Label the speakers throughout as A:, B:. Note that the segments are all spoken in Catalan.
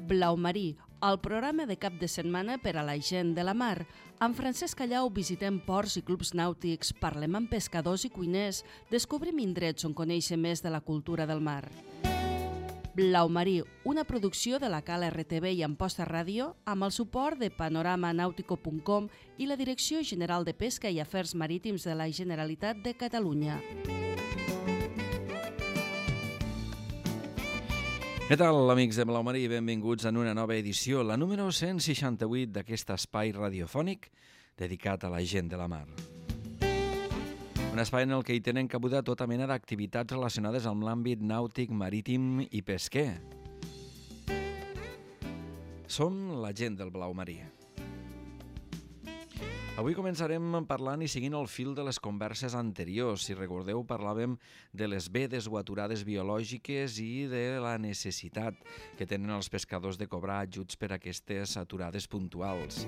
A: Blau Marí, el programa de cap de setmana per a la gent de la mar. Amb Francesc Callau visitem ports i clubs nàutics, parlem amb pescadors i cuiners, descobrim indrets on conèixer més de la cultura del mar. Blau Marí, una producció de la Cala RTV i Amposta Ràdio amb el suport de panoramanautico.com i la Direcció General de Pesca i Afers Marítims de la Generalitat de Catalunya.
B: Què tal, amics de Blau Marí? Benvinguts en una nova edició, la número 168 d'aquest espai radiofònic dedicat a la gent de la mar. Un espai en el que hi tenen cabuda tota mena d'activitats relacionades amb l'àmbit nàutic, marítim i pesquer. Som la gent del Blau Marí. Avui començarem parlant i seguint el fil de les converses anteriors. Si recordeu, parlàvem de les vedes o aturades biològiques i de la necessitat que tenen els pescadors de cobrar ajuts per a aquestes aturades puntuals.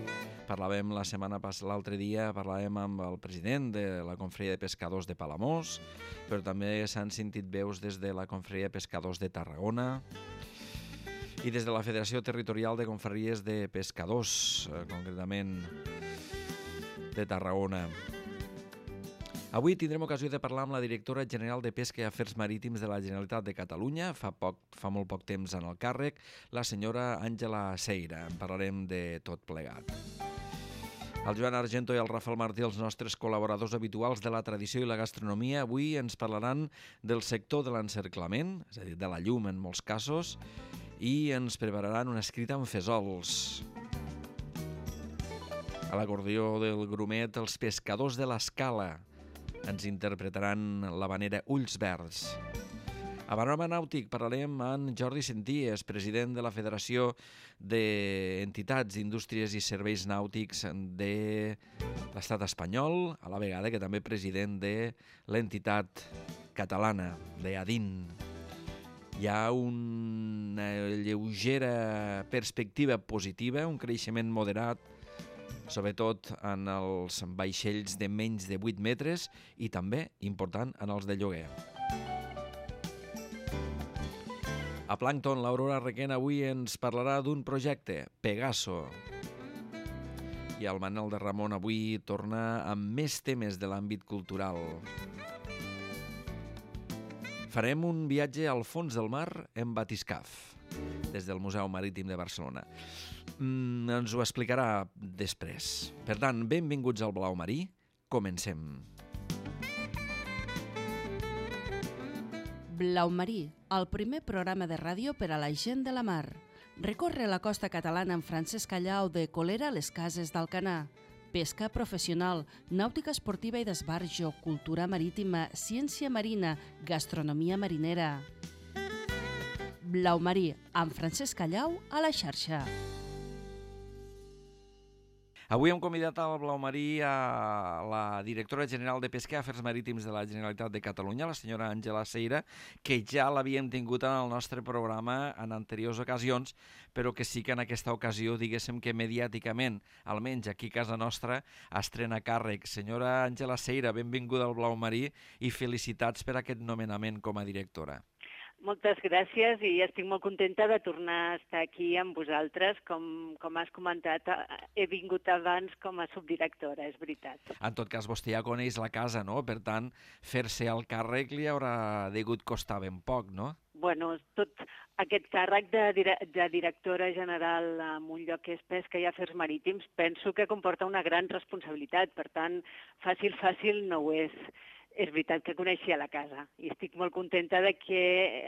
B: Parlàvem l'altre dia amb el president de la Confraria de Pescadors de Palamós, però també s'han sentit veus des de la Confraria de Pescadors de Tarragona i des de la Federació Territorial de Confraries de Pescadors, concretament de Tarragona. Avui tindrem ocasió de parlar amb la directora general de Pesca i Afers Marítims de la Generalitat de Catalunya, fa molt poc temps en el càrrec, la senyora Àngela Seira. En parlarem de tot plegat. El Joan Argento i el Rafael Martí, els nostres col·laboradors habituals de la tradició i la gastronomia, avui ens parlaran del sector de l'encerclament, és a dir, de la llum en molts casos, i ens prepararan una escrita amb fesols. A l'acordió del grumet, els pescadors de l'Escala ens interpretaran l'havanera Ulls Verds. A Panorama Nàutic parlarem amb Jordi Senties, president de la Federació d'Entitats, Indústries i Serveis Nàutics de l'Estat espanyol, a la vegada que també president de l'entitat catalana, d'EADIN. Hi ha una lleugera perspectiva positiva, un creixement moderat, sobretot en els vaixells de menys de 8 metres i també, important, en els de lloguer. A Plàncton, l'Aurora Requena avui ens parlarà d'un projecte, Pegaso. I el Manel de Ramon avui torna amb més temes de l'àmbit cultural. Farem un viatge al fons del mar en batiscaf, des del Museu Marítim de Barcelona. Ens ho explicarà després. Per tant, benvinguts al Blau Marí. Comencem.
A: Blau Marí, el primer programa de ràdio per a la gent de la mar. Recorre la costa catalana amb Francesc Callau de Colera a les Cases d'Alcanar. Pesca professional, nàutica esportiva i d'esbarjo, cultura marítima, ciència marina, gastronomia marinera. Blau Marí, amb Francesc Callau a la xarxa.
B: Avui hem convidat al Blau Marí a la directora general de Pesca i Afers Marítims de la Generalitat de Catalunya, la senyora Àngela Seira, que ja l'havíem tingut en el nostre programa en anteriors ocasions, però que sí que en aquesta ocasió, diguéssim que mediàticament, almenys aquí a casa nostra, estrena càrrec. Senyora Àngela Seira, benvinguda al Blau Marí i felicitats per aquest nomenament com a directora.
C: Moltes gràcies i estic molt contenta de tornar a estar aquí amb vosaltres. Com has comentat, he vingut abans com a subdirectora, és veritat.
B: En tot cas, vostè ja coneix la casa, no? Per tant, fer-se el càrrec li haurà degut costar ben poc, no?
C: Bueno, tot aquest càrrec de directora general en un lloc que és Pesca i Afers Marítims penso que comporta una gran responsabilitat. Per tant, fàcil no ho és. És veritat que coneixia la casa i estic molt contenta de que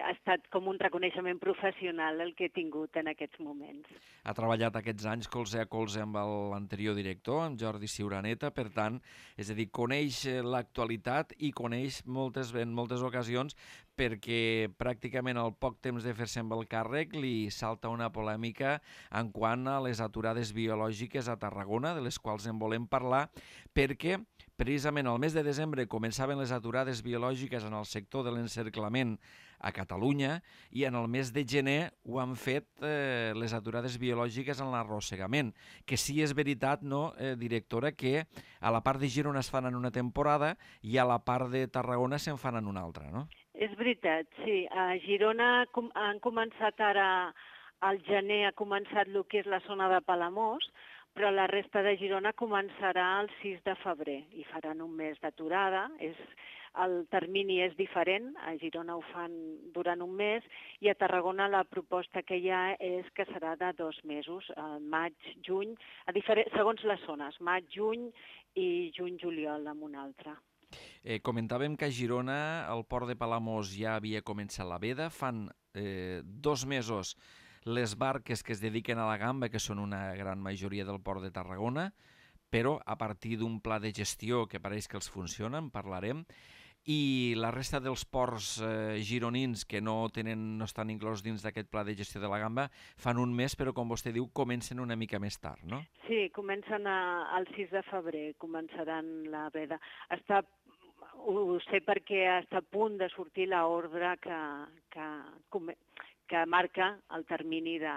C: ha estat com un reconeixement professional el que he tingut en aquests moments.
B: Ha treballat aquests anys colze a colze amb l'anterior director, amb Jordi Ciuraneta, per tant, és a dir, coneix l'actualitat i coneix en moltes ocasions perquè pràcticament al poc temps de fer-se amb el càrrec li salta una polèmica en quant a les aturades biològiques a Tarragona, de les quals en volem parlar, perquè precisament al mes de desembre començaven les aturades biològiques en el sector de l'encerclament a Catalunya i en el mes de gener ho han fet les aturades biològiques en l'arrossegament, que sí és veritat, no, directora, que a la part de Girona es fan en una temporada i a la part de Tarragona se'n fan en una altra, no?
C: És veritat, sí. A Girona han començat ara al gener ha començat el que és la zona de Palamós, però la resta de Girona començarà el 6 de febrer i faran un mes d'aturada. El termini és diferent, a Girona ho fan durant un mes i a Tarragona la proposta que hi ha és que serà de 2 mesos, maig, juny, segons les zones, maig, juny i juny-juliol amb una altra.
B: Comentàvem que a Girona el port de Palamós ja havia començat la veda, fan 2 mesos les barques que es dediquen a la gamba, que són una gran majoria del port de Tarragona, però a partir d'un pla de gestió que pareix que els funciona, en parlarem, i la resta dels ports gironins que no estan inclòs dins d'aquest pla de gestió de la gamba fan un mes, però com vostè diu, comencen una mica més tard, no?
C: Sí, comencen el 6 de febrer, començaran la veda. Ho sé perquè està a punt de sortir l'ordre que marca el termini de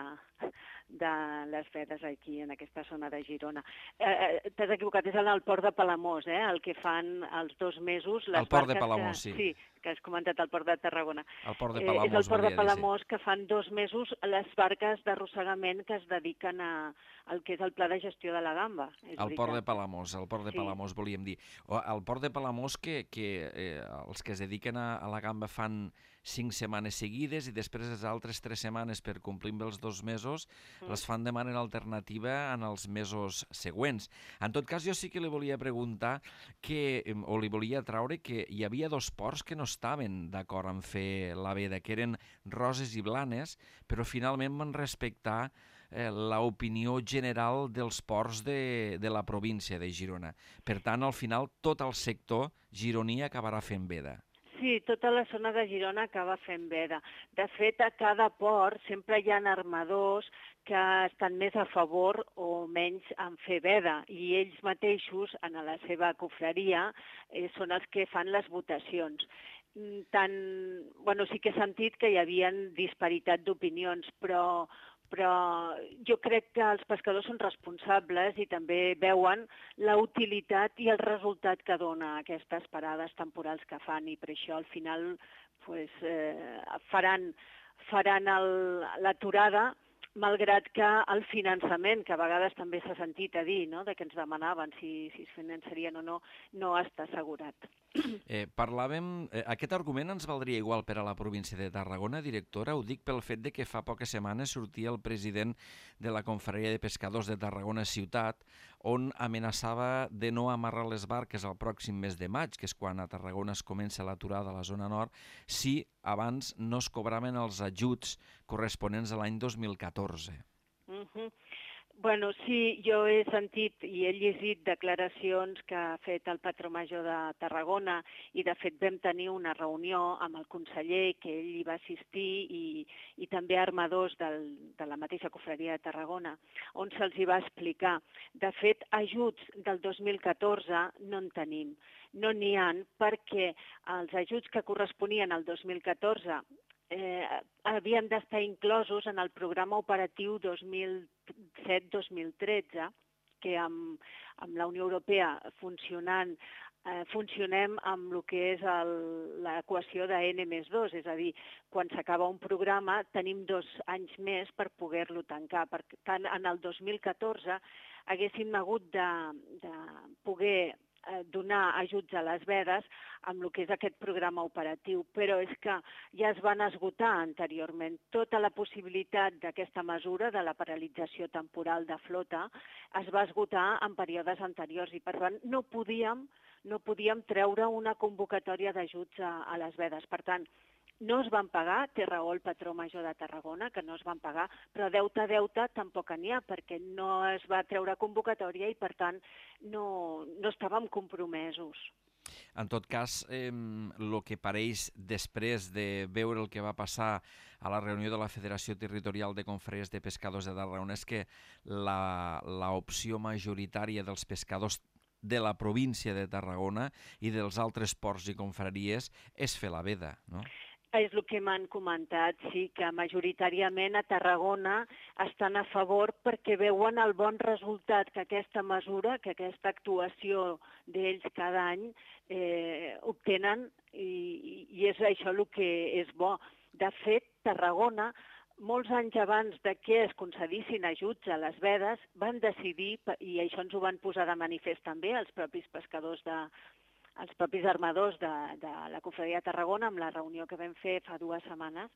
C: les vedes aquí, en aquesta zona de Girona. T'has equivocat, és en el port de Palamós, el que fan els 2 mesos les barques...
B: El port de Palamós, sí.
C: Sí, que has comentat, el port de Tarragona.
B: El port de Palamós,
C: és el port de Palamós que fan 2 mesos les barques d'arrossegament que es dediquen al que és el pla de gestió de la gamba.
B: El port de Palamós, Palamós volíem dir. El port de Palamós que els que es dediquen a la gamba fan 5 setmanes seguides i després les altres 3 setmanes per complir amb els 2 mesos les fan de manera alternativa en els mesos següents. En tot cas, jo sí que li volia preguntar o li volia traure que hi havia 2 ports que no estaven d'acord en fer la veda, que eren Roses i Blanes, però finalment van respectar l'opinió general dels ports de la província de Girona. Per tant, al final, tot el sector gironí acabarà fent veda.
C: Sí, tota la zona de Girona acaba fent veda. De fet, a cada port sempre hi ha armadors que estan més a favor o menys en fer veda i ells mateixos, en la seva cofreria, són els que fan les votacions. Sí que he sentit que hi havia disparitat d'opinions, però jo crec que els pescadors són responsables i també veuen la utilitat i el resultat que dona aquestes parades temporals que fan i per això al final faran l'aturada, malgrat que el finançament, que a vegades també s'ha sentit a dir, no?, de que ens demanaven si es finançarien o no, no està assegurat.
B: Aquest argument ens valdria igual per a la província de Tarragona, directora? Ho dic pel fet de que fa poques setmanes sortia el president de la Confraria de Pescadors de Tarragona Ciutat, on amenaçava de no amarrar les barques al pròxim mes de maig, que és quan a Tarragona es comença l'aturada a la zona nord, si abans no es cobraven els ajuts corresponents a l'any 2014.
C: Sí, jo he sentit i he llegit declaracions que ha fet el patró major de Tarragona i, de fet, vam tenir una reunió amb el conseller, que ell hi va assistir, i també armadors de la mateixa cofreria de Tarragona, on se'ls hi va explicar. De fet, ajuts del 2014 no en tenim. No n'hi ha perquè els ajuts que corresponien al 2014 havien d'estar inclosos en el programa operatiu 2007-2013, que amb la Unió Europea funcionem amb el que és l'equació de N+2, és a dir, quan s'acaba un programa tenim 2 anys més per poder-lo tancar. Per tant, en el 2014 haguéssim hagut de poder donar ajuts a les vedes amb el que és aquest programa operatiu, però és que ja es van esgotar anteriorment. Tota la possibilitat d'aquesta mesura, de la paralització temporal de flota, es va esgotar en períodes anteriors i, per tant, no podíem treure una convocatòria d'ajuts a les vedes. Per tant, no es van pagar, té raó el patró major de Tarragona, que no es van pagar, però deute tampoc n'hi ha, perquè no es va treure convocatòria i, per tant, no estàvem compromesos.
B: En tot cas, el que pareix després de veure el que va passar a la reunió de la Federació Territorial de Confraries de Pescadors de Tarragona és que l'opció majoritària dels pescadors de la província de Tarragona i dels altres ports i confraries és fer la veda, no?
C: És el que m'han comentat, sí, que majoritàriament a Tarragona estan a favor perquè veuen el bon resultat que aquesta mesura, que aquesta actuació d'ells cada any obtenen i és això el que és bo. De fet, Tarragona molts anys abans de que es concedissin ajuts a les vedes, van decidir, i això ens ho van posar de manifest també els propis pescadors els propis armadors de la Confraria de Tarragona, amb la reunió que vam fer fa 2 setmanes,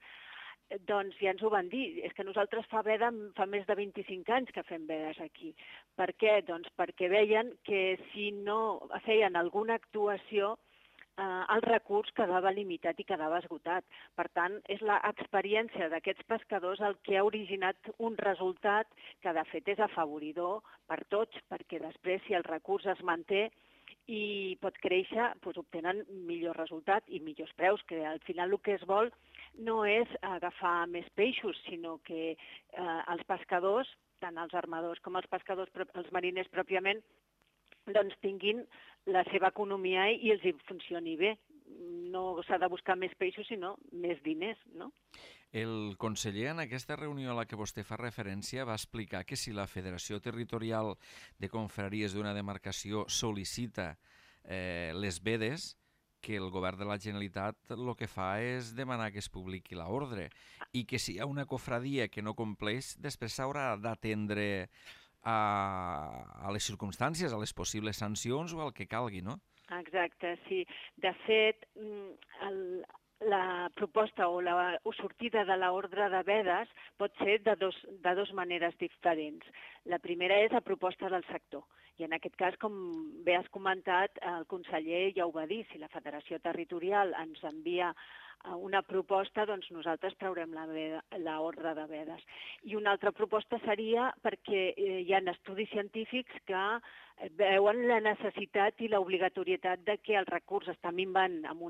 C: doncs ja ens ho van dir, és que nosaltres fa més de 25 anys que fem vedes aquí. Per què? Doncs perquè veien que si no feien alguna actuació, el recurs quedava limitat i quedava esgotat. Per tant, és l'experiència d'aquests pescadors el que ha originat un resultat que de fet és afavoridor per tots, perquè després si el recurs es manté i pot créixer, doncs obtenen millor resultat i millors preus, que al final el que es vol no és agafar més peixos, sinó que els pescadors, tant els armadors com els pescadors, els mariners pròpiament, doncs tinguin la seva economia i els hi funcioni bé. No s'ha de buscar més peixos, sinó més diners, no?
B: El conseller, en aquesta reunió a la que vostè fa referència, va explicar que si la Federació Territorial de Confraries d'una demarcació sol·licita les vedes, que el govern de la Generalitat el que fa és demanar que es publiqui l'ordre i que si hi ha una cofradia que no compleix, després s'haurà d'atendre a les circumstàncies, a les possibles sancions o al que calgui, no?
C: Exacte, sí. De fet, la proposta o la sortida de l'ordre de vedes pot ser de dos maneres diferents. La primera és a proposta del sector. I en aquest cas, com bé has comentat, el conseller ja ho va dir, si la Federació Territorial ens envia una proposta, doncs nosaltres traurem l'ordre de vedes. I una altra proposta seria perquè hi ha estudis científics que veuen la necessitat i l'obligatorietat de que el recurs està minvant amb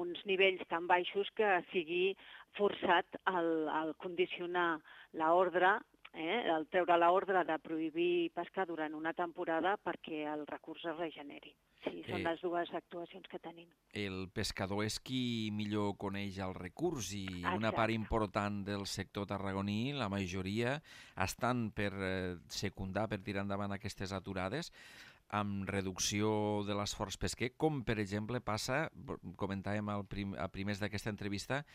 C: uns nivells tan baixos que sigui forçat al condicionar l'ordre, el treure l'ordre de prohibir pescar durant una temporada perquè el recurs es regeneri. Sí, són les dues actuacions que tenim.
B: El pescador és qui millor coneix el recurs i una part important del sector tarragoní, la majoria, estan per secundar, per tirar endavant aquestes aturades, amb reducció de l'esforç pesquer, com per exemple passa, comentàvem a primers d'aquesta entrevista,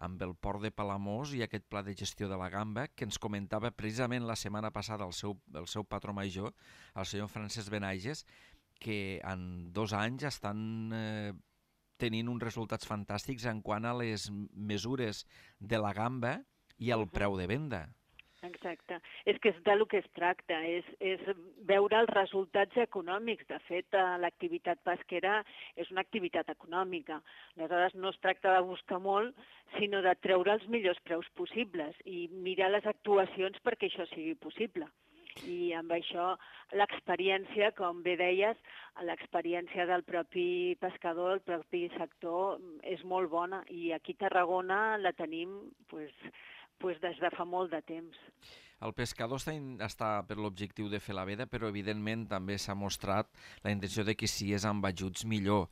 B: amb el port de Palamós i aquest pla de gestió de la gamba que ens comentava precisament la setmana passada el seu patró major, el senyor Francesc Benaiges, que en 2 anys estan tenint uns resultats fantàstics en quant a les mesures de la gamba i el preu de venda.
C: Exacte. És que és del que es tracta, és veure els resultats econòmics. De fet, l'activitat pesquera és una activitat econòmica. Aleshores, no es tracta de buscar molt, sinó de treure els millors preus possibles i mirar les actuacions perquè això sigui possible. I amb això l'experiència, com bé deies, l'experiència del propi pescador, el propi sector, és molt bona i aquí a Tarragona la tenim des de fa molt de temps.
B: El pescador està per l'objectiu de fer la veda, però evidentment també s'ha mostrat la intenció de que si és amb ajuts millor.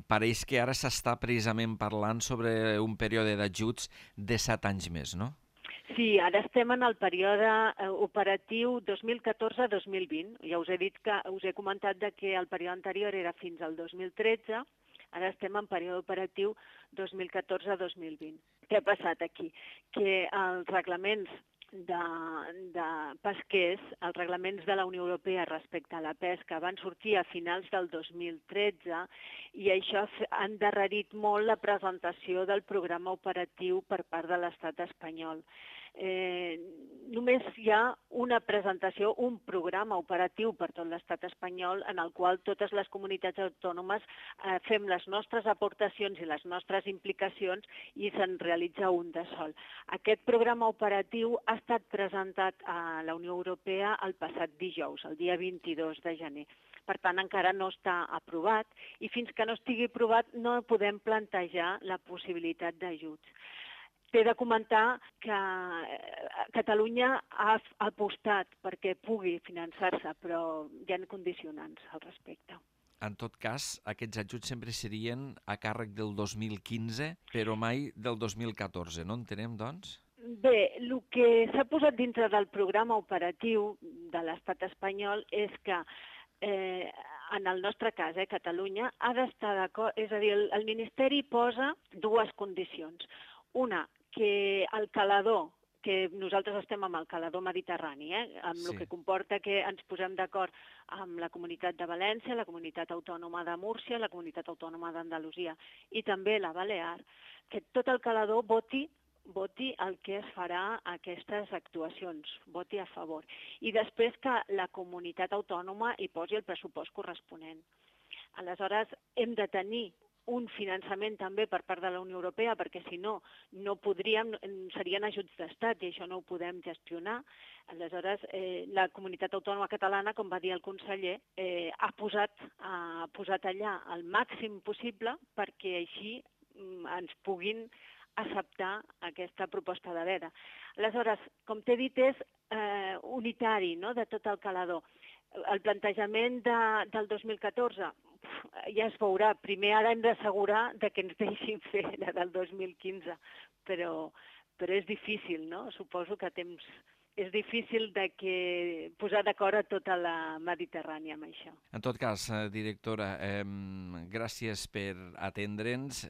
B: Pareix que ara s'està precisament parlant sobre un període d'ajuts de 7 anys més, no?
C: Sí, ara estem en el període operatiu 2014-2020. Ja us he comentat que el període anterior era fins al 2013, ara estem en període operatiu 2014-2020. Què ha passat aquí? Que els reglaments de pesquers, els reglaments de la Unió Europea respecte a la pesca van sortir a finals del 2013 i això ha endarrerit molt la presentació del programa operatiu per part de l'Estat espanyol. Només hi ha una presentació, un programa operatiu per tot l'estat espanyol en el qual totes les comunitats autònomes fem les nostres aportacions i les nostres implicacions i se'n realitza un de sol. Aquest programa operatiu ha estat presentat a la Unió Europea el passat dijous, el dia 22 de gener. Per tant, encara no està aprovat i fins que no estigui aprovat no podem plantejar la possibilitat d'ajuts. T'he de comentar que Catalunya ha apostat perquè pugui finançar-se, però hi ha condicionants al respecte.
B: En tot cas, aquests ajuts sempre serien a càrrec del 2015, però mai del 2014, no entenem, doncs?
C: Bé, el que s'ha posat dintre del programa operatiu de l'estat espanyol és que en el nostre cas, Catalunya, ha d'estar d'acord, és a dir, el Ministeri posa 2 condicions. Una, que el calador, que nosaltres estem amb el calador mediterrani, amb el que comporta que ens posem d'acord amb la Comunitat de València, la Comunitat Autònoma de Múrcia, la Comunitat Autònoma d'Andalusia i també la Balear, que tot el calador voti el que es farà a aquestes actuacions, voti a favor. I després que la comunitat autònoma hi posi el pressupost corresponent. Aleshores, hem de tenir un finançament també per part de la Unió Europea, perquè si no, no podríem, serien ajuts d'estat i això no ho podem gestionar. Aleshores, la comunitat autònoma catalana, com va dir el conseller, ha posat allà el màxim possible perquè així ens puguin acceptar aquesta proposta de veda. Aleshores, com t'he dit, és unitari, no?, de tot el calador. El plantejament del 2014 ja es veurà. Primer ara hem d'assegurar que ens deixin fer la del 2015, però és difícil, no? Suposo que és difícil posar d'acord a tota la Mediterrània amb això.
B: En tot cas, directora, gràcies per atendre'ns.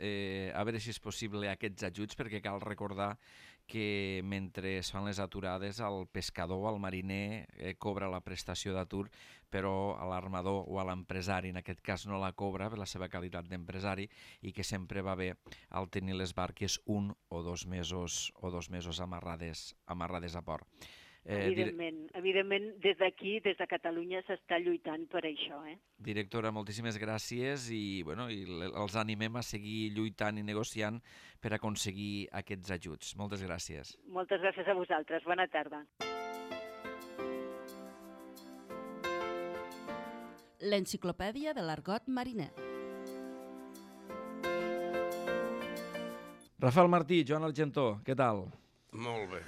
B: A veure si és possible aquests ajuts, perquè cal recordar que mentre es fan les aturades el pescador, el mariner, cobra la prestació d'atur, però a l'armador o a l'empresari, en aquest cas, no la cobra per la seva qualitat d'empresari i que sempre va bé al tenir les barques 1 o 2 mesos amarrades a port.
C: Evidentment, des d'aquí, des de Catalunya, s'està lluitant per això.
B: Directora, moltíssimes gràcies i els animem a seguir lluitant i negociant per aconseguir aquests ajuts. Moltes gràcies.
C: Moltes gràcies a vosaltres. Bona tarda.
A: L'enciclopèdia de l'argot mariner.
B: Rafael Martí, Joan Argentó, què tal?
D: Molt bé.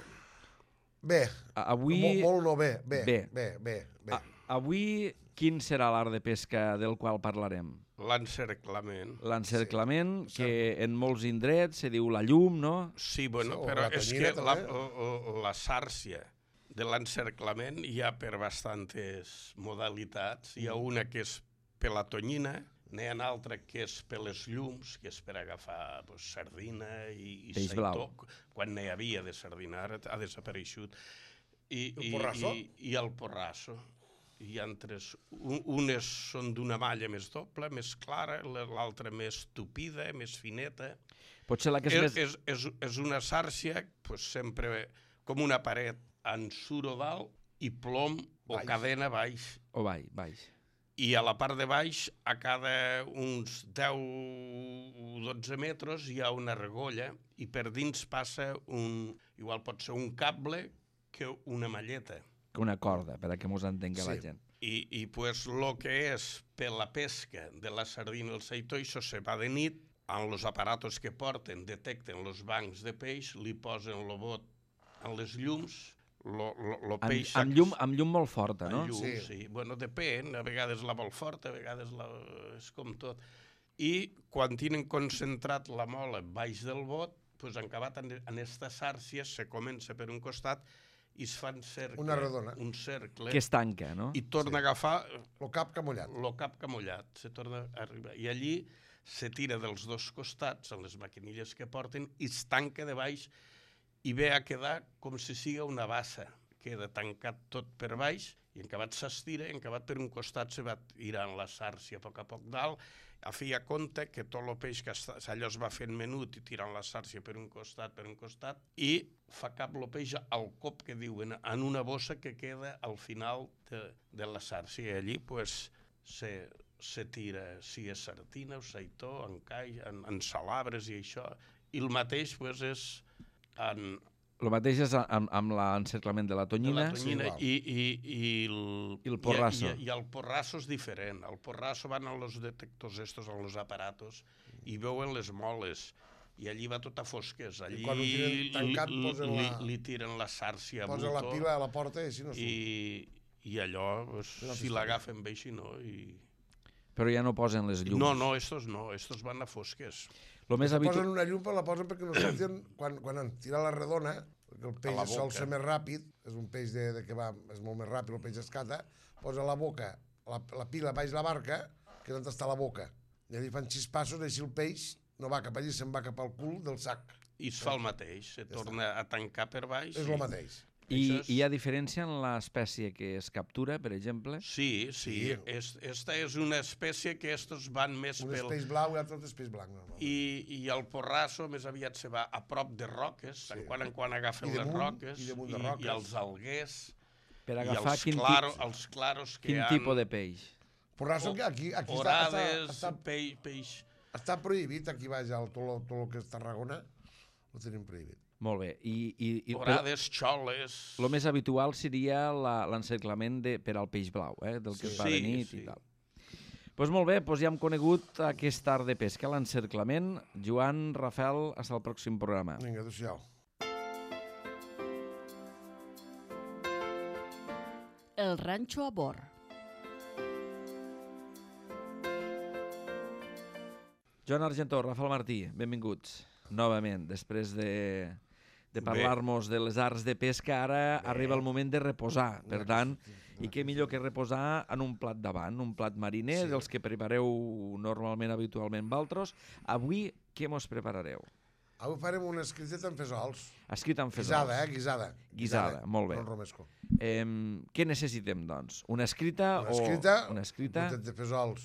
E: Bé,
B: avui...
E: molt no bé. Bé.
B: Avui, quin serà l'art de pesca del qual parlarem?
D: L'encerclament.
B: L'encerclament, que en molts indrets se diu la llum, no?
D: Sí, bueno, però és que la sàrcia de l'encerclament hi ha per bastantes modalitats. Hi ha una que és per la tonyina, n'hi ha una altra que és per les llums, que és per agafar sardina i
B: peix
D: seitó,
B: blau.
D: quan n'hi havia de sardina, ara ha desapareixut.
E: El porrasso?
D: I el porrasso. Hi ha tres. Unes són d'una malla més doble, més clara, l'altra més tupida, més fineta.
B: Potser la que és més...
D: És una sàrcia, sempre com una paret en suro dalt i plom o cadena baix.
B: O baix.
D: I a la part de baix, a cada uns 10 o 12 metres, hi ha una argolla i per dins passa igual pot ser un cable que una malleta.
B: Una corda, per a que mos entengui la gent.
D: I pues lo que és per la pesca de la sardina i el seitó, això se va de nit, amb els aparatos que porten, detecten els bancs de peix, li posen el bot en les llums,
B: Amb llum molt forta, no?
D: Amb llum, sí. Bueno, depèn, a vegades la vol forta, a vegades és com tot. I quan tenen concentrat la mola baix del bot, doncs han acabat en aquesta sàrcia, se comença per un costat i es fan un cercle.
B: Que es tanca, no?
D: I torna a agafar...
E: Lo cap camullat.
D: Lo cap camullat, se torna a arribar. I allí se tira dels dos costats, en les maquinilles que porten, i es tanca de baix i ve a quedar com si siga una bassa. Queda tancat tot per baix i en acabat s'estira, en acabat per un costat se va tirant la sàrcia a poc dalt, a fi a compte que tot el peix que allò es va fent menut i tirant la sàrcia per un costat, i fa cap el peix al cop que diuen, en una bossa que queda al final de la sàrcia. I allí pues, se tira, si és sardina o seitó, en cai, en salabres i això. I el mateix pues, és...
B: El mateix és amb l'encerclament de la tonyina,
D: i
B: el porrasso.
D: I el porrasso és diferent. El porrasso van als detectors estos, als aparatos, i veuen les moles. I allí va tot a fosques. Allí li tiren la sàrcia a
E: posa la pila a la porta i si no
D: surt. I allò, si l'agafen bé, si no...
B: Però ja no posen les llums.
D: No, estos van a fosques.
E: Posen una llum, la posen perquè no surten quan han tirat la redona, perquè el peix sol ser més ràpid, és un peix que va, és molt més ràpid, el peix escata, posa la boca, la pila baix la barca, que és on està la boca. I allà fan 6 passos, així el peix no va cap allí, se'n va cap al cul del sac.
D: I es fa el mateix, se torna a tancar per baix.
E: És el mateix.
B: I hi ha diferència en l'espècie que es captura, per exemple?
D: Sí. Esta és una espècie que estos van més
E: Un és peix blau i l'altre és peix blanc.
D: I el porrasso més aviat se va a prop de roques, en quan agafen les roques, i els alguers,
B: per agafar
D: els claros que hi ha.
B: Quin tipus de peix?
E: Porrasso aquí
D: orades, peix.
E: Està prohibit aquí baix, tot el que és Tarragona, ho tenim prohibit.
B: Molt bé.
D: Orades, xoles...
B: El més habitual seria l'encerclament per al peix blau, del que es va de nit i tal. Doncs molt bé, ja hem conegut aquest art de pesca, l'encerclament. Joan, Rafael, fins al pròxim programa.
E: Vinga, adéu-siau.
A: El ranxo a bord.
B: Joan Argentó, Rafael Martí, benvinguts novament. Després de parlar-nos de les arts de pesca, ara arriba el moment de reposar. Per tant, i què millor que reposar en un plat davant, un plat mariner, dels que prepareu normalment, habitualment, valtros. Avui, què mos preparareu?
E: Avui farem una escriteta amb fesols.
B: Escrit amb fesols.
E: Guisada,
B: Guisada, molt bé.
E: No romesco.
B: Què necessitem, doncs? Una escrita o...
E: Una escrita, un gotet de fesols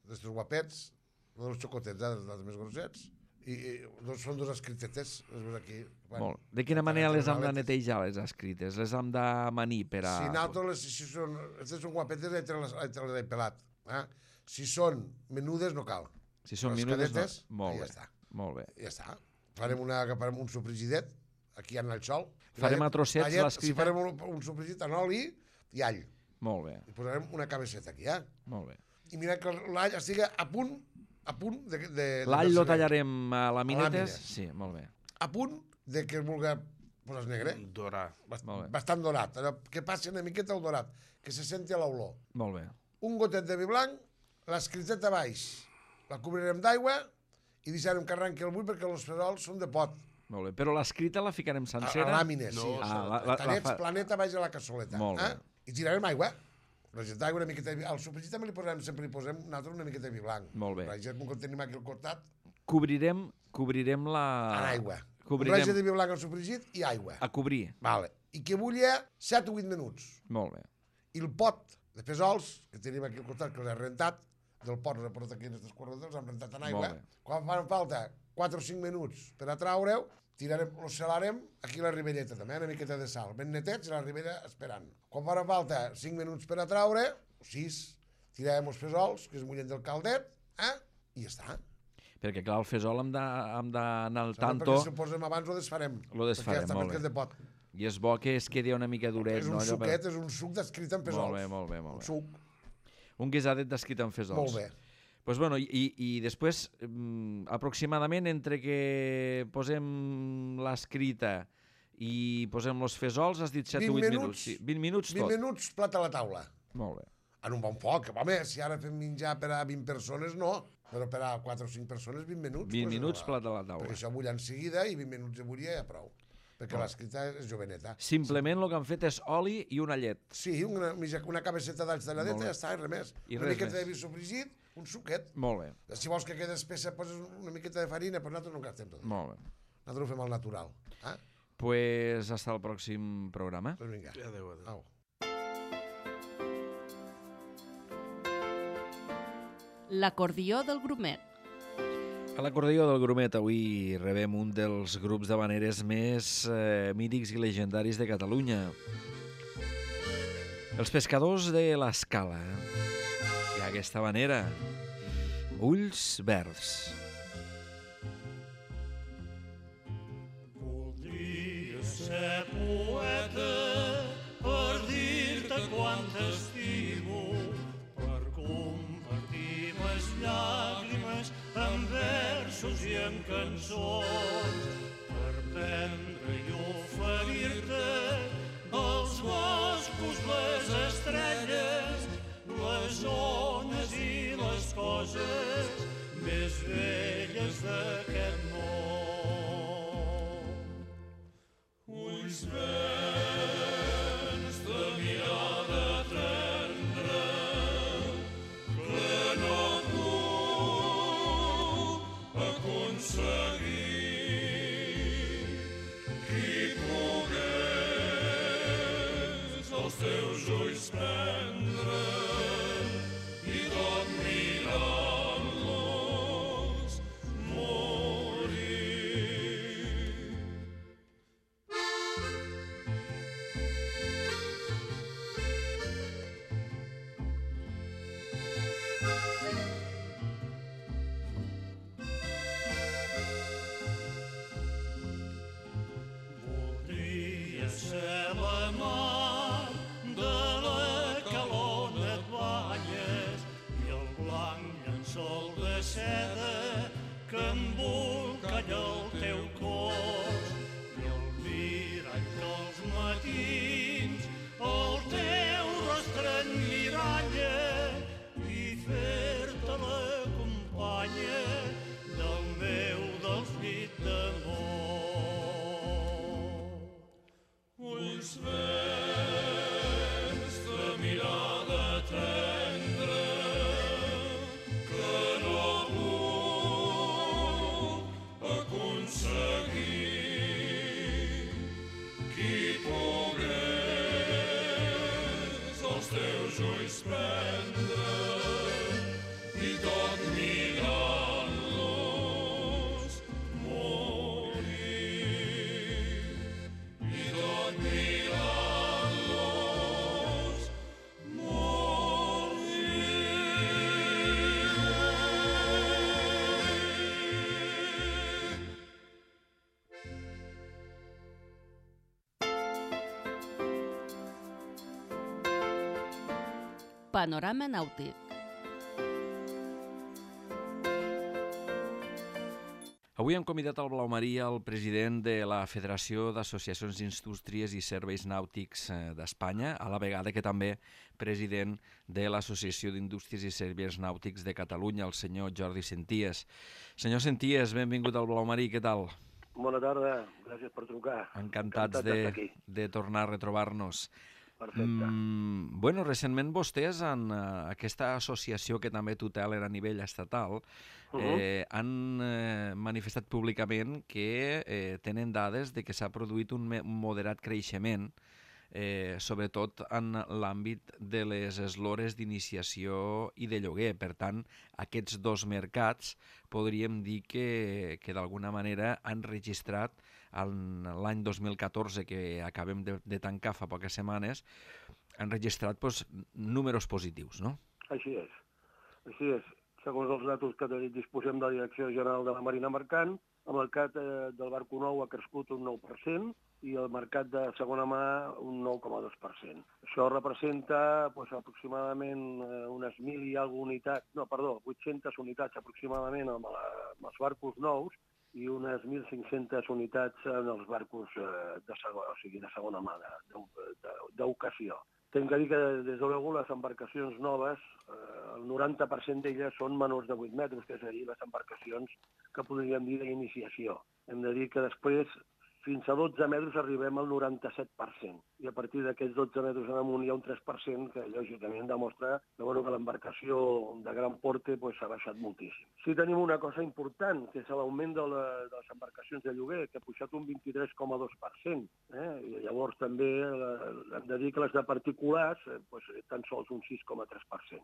E: d'estos guapets, dels xocotets, dels més grossets, i són dos escritetes, aquí.
B: Molt. De quina manera les hem de netejar, les escrites? Les hem de manir per a...
E: Si nosaltres, si són guapetes, les he pelat. Si són menudes, no cal.
B: Si són menudes, no. Molt bé.
E: Ja està.
B: Molt bé.
E: Ja està. Farem un sofregidet, aquí en el xol.
B: Farem a trossets l'escrita?
E: Si farem un sofregit en oli i all.
B: Molt bé.
E: I posarem una cabeceta aquí,
B: Molt bé.
E: I mira que l'all estigui a punt de...
B: L'all lo tallarem a làminetes? Sí, molt bé.
E: A punt de que es vulgui posar negre.
D: Dorar.
E: Bastant dorat. Que passi una miqueta el dorat, que se senti l'olor.
B: Molt bé.
E: Un gotet de vi blanc, l'escriteta baix, la cobrirem d'aigua i deixarem que arrenqui el bull perquè els fesols són de pot.
B: Molt bé, però l'escrita la ficarem sencera?
E: A làmines, sí. Tallets, planeta, baix a la cassoleta.
B: Molt bé.
E: I tirarem aigua. D'aigua, una miqueta de vi. Al sofregit també sempre li posem nosaltres una miqueta de vi blanc.
B: Molt bé.
E: Com que tenim aquí al costat...
B: Cobrirem la...
E: En aigua. Raja de vi blanc al sofregit i aigua.
B: A cobrir.
E: Vale. I que bulli 7 o 8 minuts.
B: Molt bé.
E: I el pot de fesols, que tenim aquí al costat, que els he rentat, del pot els he portat aquí en aquests corredors, els hem rentat en aigua. Quan fan falta 4 o 5 minuts per a traure-ho, los salarem aquí a la ribelleta també, una miqueta de sal, ben netets i la ribella esperant. Quan farà falta 5 minuts per a traure, 6, tirarem els fesols, que es mullen del caldet, i ja està.
B: Perquè, clar, el fesol hem d'anar al tanto...
E: Perquè si ho posem abans ho desfarem.
B: Lo desfarem, molt bé.
E: És de pot.
B: I és bo que es quedi una mica duret.
E: És un suquet, és un suc d'escrit amb fesols.
B: Molt bé.
E: Un suc.
B: Un guisadet d'escrit amb fesols.
E: Molt bé.
B: Pues bueno, i després, aproximadament, entre que posem l'escrita i posem els fesols, has dit 7 o 8 minuts. 20 minuts tot.
E: 20 minuts, plat a la taula.
B: Molt bé.
E: En un bon foc. Home, si ara fem menjar per a 20 persones, no. Però per a 4 o 5 persones, 20 minuts.
B: 20 minuts, plat a la taula.
E: Perquè això bull en seguida i 20 minuts de bullir ja prou. Perquè l'escrita és joveneta.
B: Simplement el que han fet és oli i una llet.
E: Sí, una cabeceta d'alls talladeta i ja està, i res més. Una miqueta de vi sofregit, un suquet.
B: Molt bé.
E: Si vols que quedi espessa, poses una miqueta de farina, però nosaltres no gastem tot.
B: Molt bé.
E: Nosaltres ho fem al natural.
B: Pues hasta el pròxim programa.
E: Doncs vinga.
D: Adéu.
A: L'acordió del grumet.
B: A l'acordió del grumet avui rebem un dels grups d'havaneres més mítics i legendaris de Catalunya. Els pescadors de l'Escala. I aquesta havanera, Ulls Verds.
F: Voldria ser poeta per dir-te quant t'estimo, per compartir les llàgrimes en versos i en cançons, per prendre i oferir-te els boscos, les estrelles, les ones i les coses més belles d'aquest món. Ulls verds de mirada tendra, que no puc aconseguir teus ulls prendre i tot mirant-los morir. Voldria ser la mar de la calor et banyes i el blanc llençol de seda que embolcalla el teu cos i el mirall que els matins el teu rostre emmiralla i fer-te la companya del meu desdit d'amor. Ulls verds de mirada tendra que no puc aconseguir. Qui pogués els teus ulls prendre i tot mirant-los morir. I tot mirant-los morir.
A: Panorama nàutic.
B: Avui hem convidat al Blau Maria el president de la Federació d'Associacions d'Indústries i Serveis Nàutics d'Espanya, a la vegada que també president de l'Associació d'Indústries i Serveis Nàutics de Catalunya, el senyor Jordi Senties. Senyor Senties, benvingut al Blau Marí, què tal?
G: Bona tarda, gràcies per trucar.
B: Encantats
G: d'estar aquí.
B: de tornar a retrobar-nos.
G: Perfecte.
B: Bueno, recentment vostès, en aquesta associació que també tutelen a nivell estatal, han manifestat públicament que tenen dades de que s'ha produït un moderat creixement, sobretot en l'àmbit de les eslores d'iniciació i de lloguer. Per tant, aquests dos mercats podríem dir que d'alguna manera han registrat l'any 2014, que acabem de tancar fa poques setmanes, han registrat números positius, no?
G: Així és. Així és. Segons els datos que disposem de la Direcció General de la Marina Mercant, el mercat del barco nou ha crescut un 9% i el mercat de segona mà un 9,2%. Això representa aproximadament unes 1.000 i alguna unitats, 800 unitats aproximadament amb els barcos nous i unes 1.500 unitats en els barcos de segona mà, d'ocasió. Tinc que dir que, des de luego, les embarcacions noves, el 90% d'elles són menors de 8 metres, que és a dir, les embarcacions que podríem dir d'iniciació. Hem de dir que després, fins a 12 metres, arribem al 97%. I a partir d'aquests 12 metres en amunt hi ha un 3% que, lògicament, demostra que l'embarcació de gran porte s'ha baixat moltíssim. Sí tenim una cosa important, que és l'augment de les embarcacions de lloguer, que ha pujat un 23,2%. I llavors també hem de dir que les de particulars tan sols un 6,3%.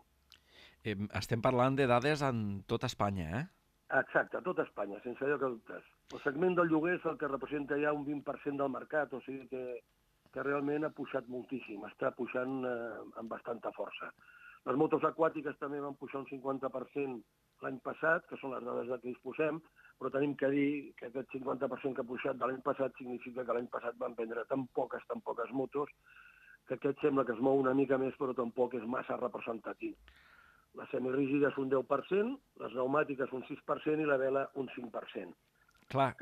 B: Estem parlant de dades en tota Espanya, eh?
G: Exacte, a tot Espanya, sense lloc a dubtes. El segment del lloguer és el que representa ja un 20% del mercat, o sigui que realment ha pujat moltíssim, està pujant amb bastanta força. Les motos aquàtiques també van pujar un 50% l'any passat, que són les dades de què disposem, però tenim que dir que aquest 50% que ha pujat de l'any passat significa que l'any passat van vendre tan poques motos, que aquest sembla que es mou una mica més, però tampoc és massa representatiu. Les semirígides un 10%, les pneumàtiques un 6% i la vela un 5%.
B: Clar,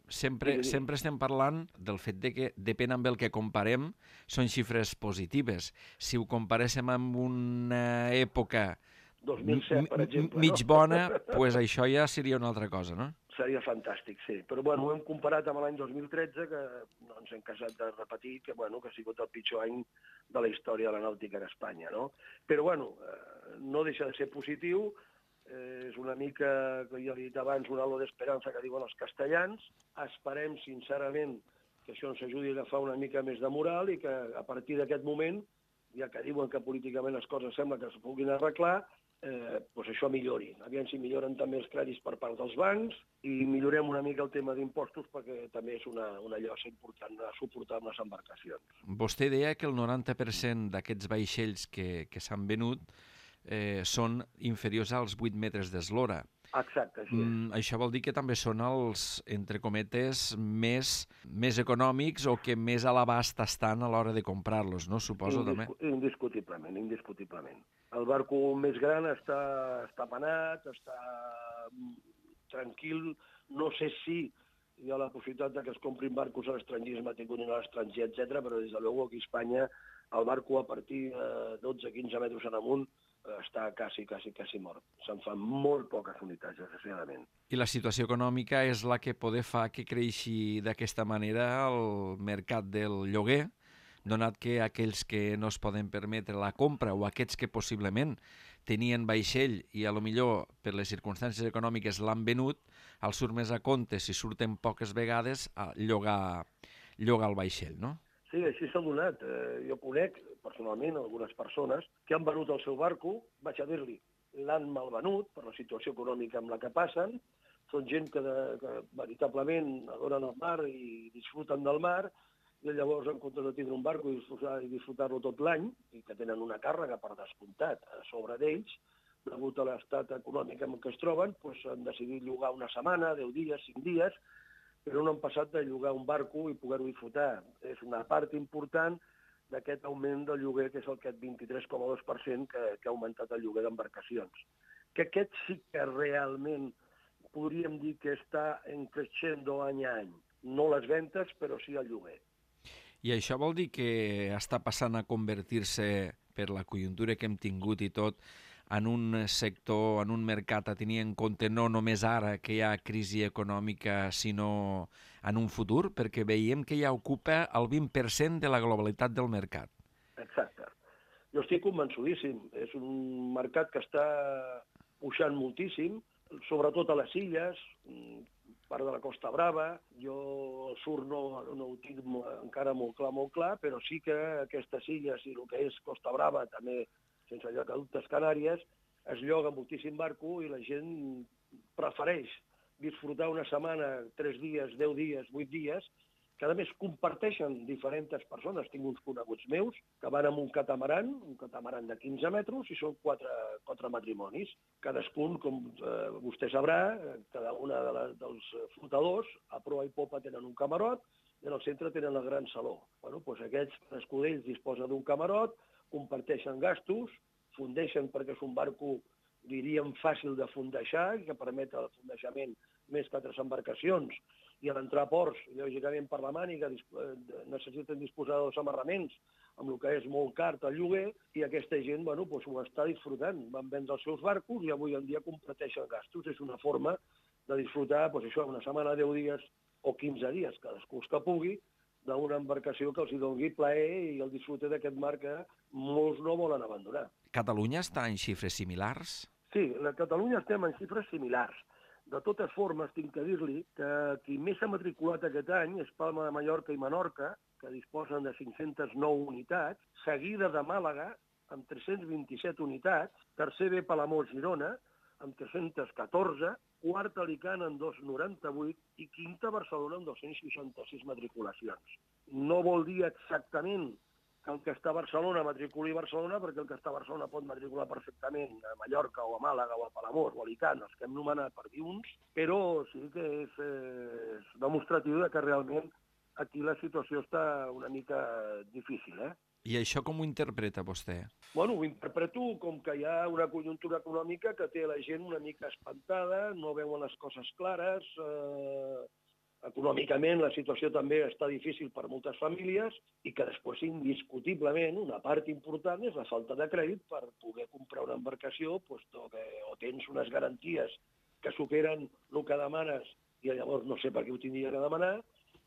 B: sempre estem parlant del fet de que, depèn amb el que comparem, són xifres positives. Si ho comparéssim amb una època
G: 2007, per exemple,
B: mig bona, doncs això ja seria una altra cosa, no?
G: Seria fantàstic, sí. Però ho hem comparat amb l'any 2013, que no ens hem casat de repetir, que ha sigut el pitjor any de la història de la nàutica en Espanya, no? Però, no deixa de ser positiu, és una mica, que ja he dit abans, un halo d'esperança que diuen els castellans. Esperem, sincerament, que això ens ajudi a agafar una mica més de moral i que a partir d'aquest moment, ja que diuen que políticament les coses sembla que es puguin arreglar, doncs això millori. Aviam si milloren també els crèdits per part dels bancs i millorem una mica el tema d'impostos perquè també és una llosa important a suportar amb les embarcacions.
B: Vostè deia que el 90% d'aquests vaixells que s'han venut són inferiors als 8 metres d'eslora.
G: Exacte, així és.
B: Això vol dir que també són els, entre cometes, més econòmics o que més a l'abast estan a l'hora de comprar-los, no? Suposo també.
G: Indiscutiblement. El barco més gran està penat, està tranquil. No sé si hi ha la possibilitat de que es comprin barcos a l'estranger, es matriculin a l'estranger, etc. Però des de luego aquí a Espanya el barco a partir de 12-15 metres en amunt està quasi mort. Se'n fan molt poques unitats, desgraciadament.
B: I la situació econòmica és la que poder fa que creixi d'aquesta manera el mercat del lloguer, donat que aquells que no es poden permetre la compra o aquests que possiblement tenien vaixell i a lo millor per les circumstàncies econòmiques l'han venut, els surt més a compte, si surten poques vegades, a llogar el vaixell, no?
G: Sí, així s'ha donat. Jo conec personalment algunes persones que han venut el seu barco, vaig a dir-li, l'han malvenut per la situació econòmica amb la que passen, són gent que veritablement adoren el mar i disfruten del mar, i llavors en comptes de tindre un barco i disfrutar-lo tot l'any, i que tenen una càrrega per descomptat a sobre d'ells, degut a l'estat econòmic en què es troben, doncs han decidit llogar una setmana, 10 dies, 5 dies, però no han passat de llogar un barco i poder-ho disfrutar. És una part important d'aquest augment del lloguer, que és aquest 23,2% que ha augmentat el lloguer d'embarcacions. Que aquest sí que realment podríem dir que està creixent any a any. No les ventes, però sí el lloguer.
B: I això vol dir que està passant a convertir-se, per la conjuntura que hem tingut i tot, en un sector, en un mercat a tenir en compte no només ara que hi ha crisi econòmica, sinó en un futur, perquè veiem que ja ocupa el 20% de la globalitat del mercat.
G: Exacte. Jo estic convençudíssim. És un mercat que està pujant moltíssim, sobretot a les illes, part de la Costa Brava. Jo el sur no ho tinc encara molt clar, però sí que aquestes illes i el que és Costa Brava, també sense lloc a dubtes Canàries, es lloga moltíssim barco i la gent prefereix disfrutar una setmana, 3 dies, 10 dies, 8 dies, que a més comparteixen diferents persones. Tinc uns coneguts meus que van amb un catamaran de 15 metres, i són 4 matrimonis. Cadascun, com vostè sabrà, cada una dels flotadors, a proa i popa tenen un camarot, i en el centre tenen el gran saló. Doncs aquests, cadascú d'ells disposa d'un camarot, comparteixen gastos, fundeixen perquè és un barco, diríem, fàcil de fondejar, que permet el fondejament més que altres embarcacions, i a l'entrar a ports, lògicament per la màniga, necessiten disposar dels amarraments, amb el que és molt car el lloguer, i aquesta gent ho està disfrutant. Van vendre els seus barcos i avui en dia comparteixen gastos. És una forma de disfrutar una setmana, 10 dies o 15 dies, cadascú que pugui, d'una embarcació que els doni plaer i el disfrute d'aquest mar que molts no volen abandonar.
B: Catalunya està en xifres similars?
G: Sí, a Catalunya estem en xifres similars. De totes formes, tinc que dir-li que qui més s'ha matriculat aquest any és Palma de Mallorca i Menorca, que disposen de 509 unitats, seguida de Màlaga, amb 327 unitats, tercer ve Palamós Girona, amb 314, quart Alicant amb 298 i quinta Barcelona amb 266 matriculacions. No vol dir exactament que el que està a Barcelona matriculi a Barcelona, perquè el que està a Barcelona pot matricular perfectament a Mallorca o a Màlaga o a Palamós o a Alicant, els que hem nomenat per dir uns, però sí que és demostratiu que realment aquí la situació està una mica difícil,
B: I això com ho interpreta vostè?
G: Bueno, ho interpreto com que hi ha una conjuntura econòmica que té la gent una mica espantada, no veuen les coses clares, econòmicament la situació també està difícil per moltes famílies i que després, indiscutiblement, una part important és la falta de crèdit per poder comprar una embarcació, o tens unes garanties que superen el que demanes i llavors no sé per què ho tindria que demanar,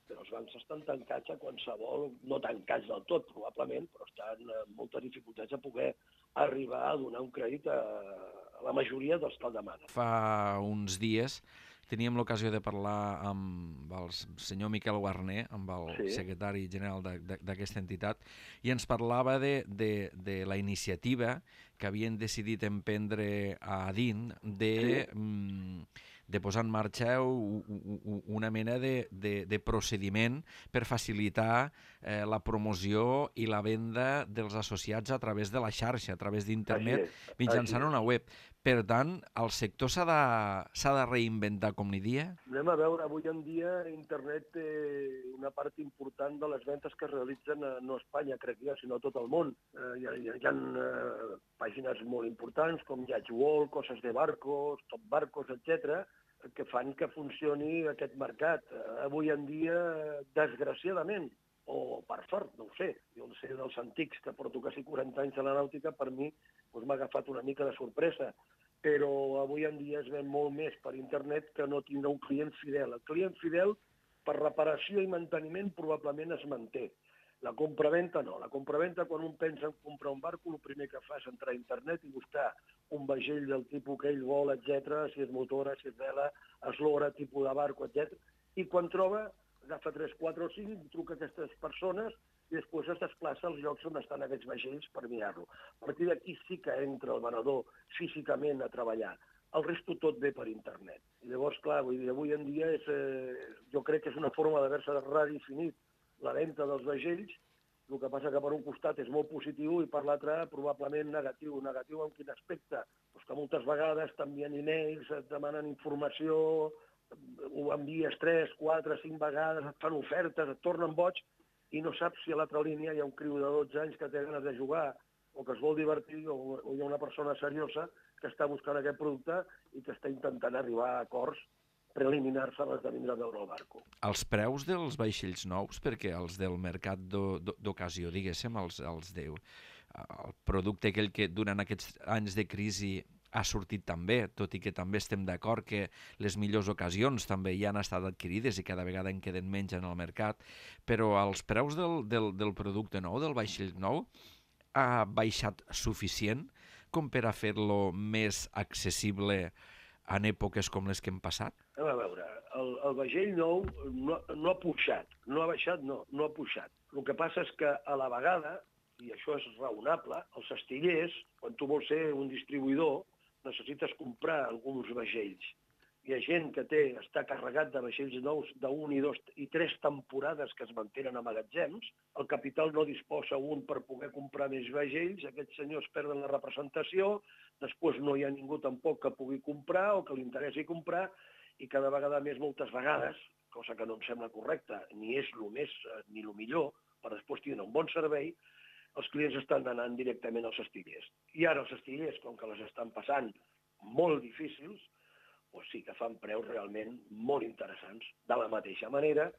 G: però els bancs estan tancats a qualsevol, no tancats del tot probablement, però estan amb moltes dificultats a poder arribar a donar un crèdit a la majoria dels que el demanen.
B: Fa uns dies teníem l'ocasió de parlar amb el senyor Miquel Guarner, amb el secretari general d'aquesta entitat, i ens parlava de la iniciativa que havien decidit emprendre a Adin de posar en marxa una mena de procediment per facilitar la promoció i la venda dels associats a través de la xarxa, a través d'internet, mitjançant una web. Per tant, el sector s'ha de reinventar, com ni dia?
G: Anem a veure, avui en dia internet té una part important de les ventes que es realitzen no a Espanya, crec jo, sinó a tot el món. Hi ha pàgines molt importants com Yacht World, Coses de Barcos, Top Barcos, etc., que fan que funcioni aquest mercat. Avui en dia, desgraciadament, o per sort, no ho sé, jo no sé dels antics, que porto quasi 40 anys a la nàutica, per mi m'ha agafat una mica de sorpresa, però avui en dia es ven molt més per internet que no tindre un client fidel. El client fidel, per reparació i manteniment, probablement es manté. La compraventa no. La compraventa, quan un pensa en comprar un barco, el primer que fa és entrar a internet i buscar un vaixell del tipus que ell vol, etc., si és motora, si és vela, eslora, tipus de barco, etc. I quan troba, agafa 3, 4 o 5, truca a aquestes persones i després es desplaça als llocs on estan aquests vaixells per mirar-lo. A partir d'aquí sí que entra el venedor físicament a treballar. El resto tot ve per internet. I llavors, clar, avui en dia jo crec que és una forma d'haver-se redefinit la venda dels vaixells. El que passa que per un costat és molt positiu i per l'altre probablement negatiu. Negatiu en quin aspecte? Pues que moltes vegades t'envien e-mails, et demanen informació, ho envies 3, 4, 5 vegades, et fan ofertes, et tornen boig i no saps si a l'altra línia hi ha un criu de 12 anys que té ganes de jugar o que es vol divertir o hi ha una persona seriosa que està buscant aquest producte i que està intentant arribar a acords preliminars abans de vindre a veure el barco.
B: Els preus dels vaixells nous, perquè els del mercat d'ocasió, diguéssim, el producte aquell que durant aquests anys de crisi ha sortit també, tot i que també estem d'acord que les millors ocasions també ja han estat adquirides i cada vegada en queden menys en el mercat, però els preus del producte nou, del vaixell nou, ha baixat suficient com per a fer-lo més accessible en èpoques com les que hem passat?
G: A veure, el vaixell nou no ha pujat, no ha baixat, no ha pujat. El que passa és que a la vegada, i això és raonable, els astillers, quan tu vols ser un distribuïdor, necessites comprar alguns vaixells. Hi ha gent que està carregat de vaixells nous d'1 i 2 i 3 temporades que es mantenen a magatzems, el capital no disposa un per poder comprar més vaixells, aquests senyors perden la representació, després no hi ha ningú tampoc que pugui comprar o que li interessi comprar, i cada vegada més, moltes vegades, cosa que no em sembla correcta, ni és el més ni el millor, per després tindre un bon servei, els clients estan anant directament als astillers. I ara els astillers, com que les estan passant molt difícils, doncs sí que fan preus realment molt interessants. De la mateixa manera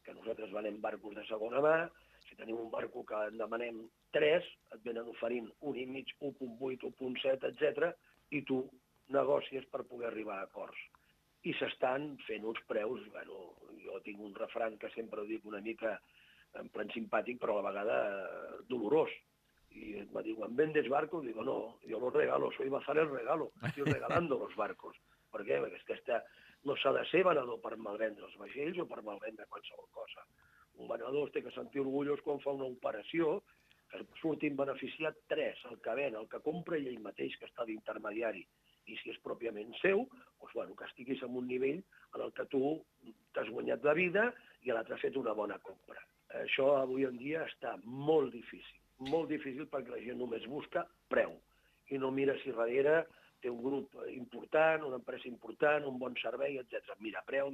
G: que nosaltres venem barcos de segona mà, si tenim un barco que en demanem 3, et venen oferint 1,5, 1,8, 1,7, etc., i tu negocies per poder arribar a acords. I s'estan fent uns preus, jo tinc un refrany que sempre ho dic una mica en plan simpàtic, però a la vegada dolorós. Y me digo, ¿vendes barcos? Digo, no, yo los regalo, soy bazar el regalo, estoy regalando los barcos. Per què? Perquè és que no s'ha de ser venedor per malvendre els vaixells o per malvendre qualsevol cosa. Un venedor es té que sentir orgullós quan fa una operació que surtin beneficiat 3, el que ven, el que compra i ell mateix que està d'intermediari. I si és pròpiament seu, doncs, que estiguis en un nivell en el que tu t'has guanyat la vida i l'altre ha fet una bona compra. Això avui en dia està molt difícil perquè la gent només busca preu i no mira si darrere té un grup important, una empresa important, un bon servei, etc. Mira preu.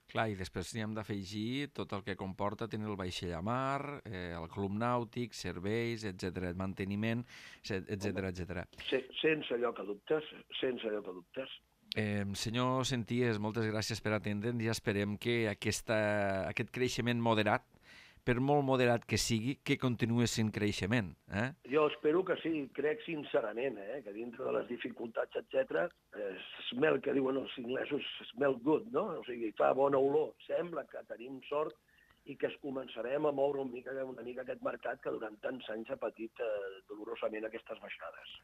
B: Clar, i després n'hi hem d'afegir tot el que comporta tenir el vaixell a mar, el club nàutic, serveis, etc., manteniment, etc.
G: Sense lloc a dubtes.
B: Senyor Senties, moltes gràcies per atendre'ns i esperem que aquest creixement moderat, per molt moderat que sigui, que continuï sent creixement.
G: Jo espero que sí, crec sincerament, que dintre de les dificultats, etc., smell, que diuen els inglesos, smell good, no? O sigui, fa bona olor. Sembla que tenim sort i que es començarem a moure una mica aquest mercat que durant tants anys ha patit dolorosament aquestes baixades.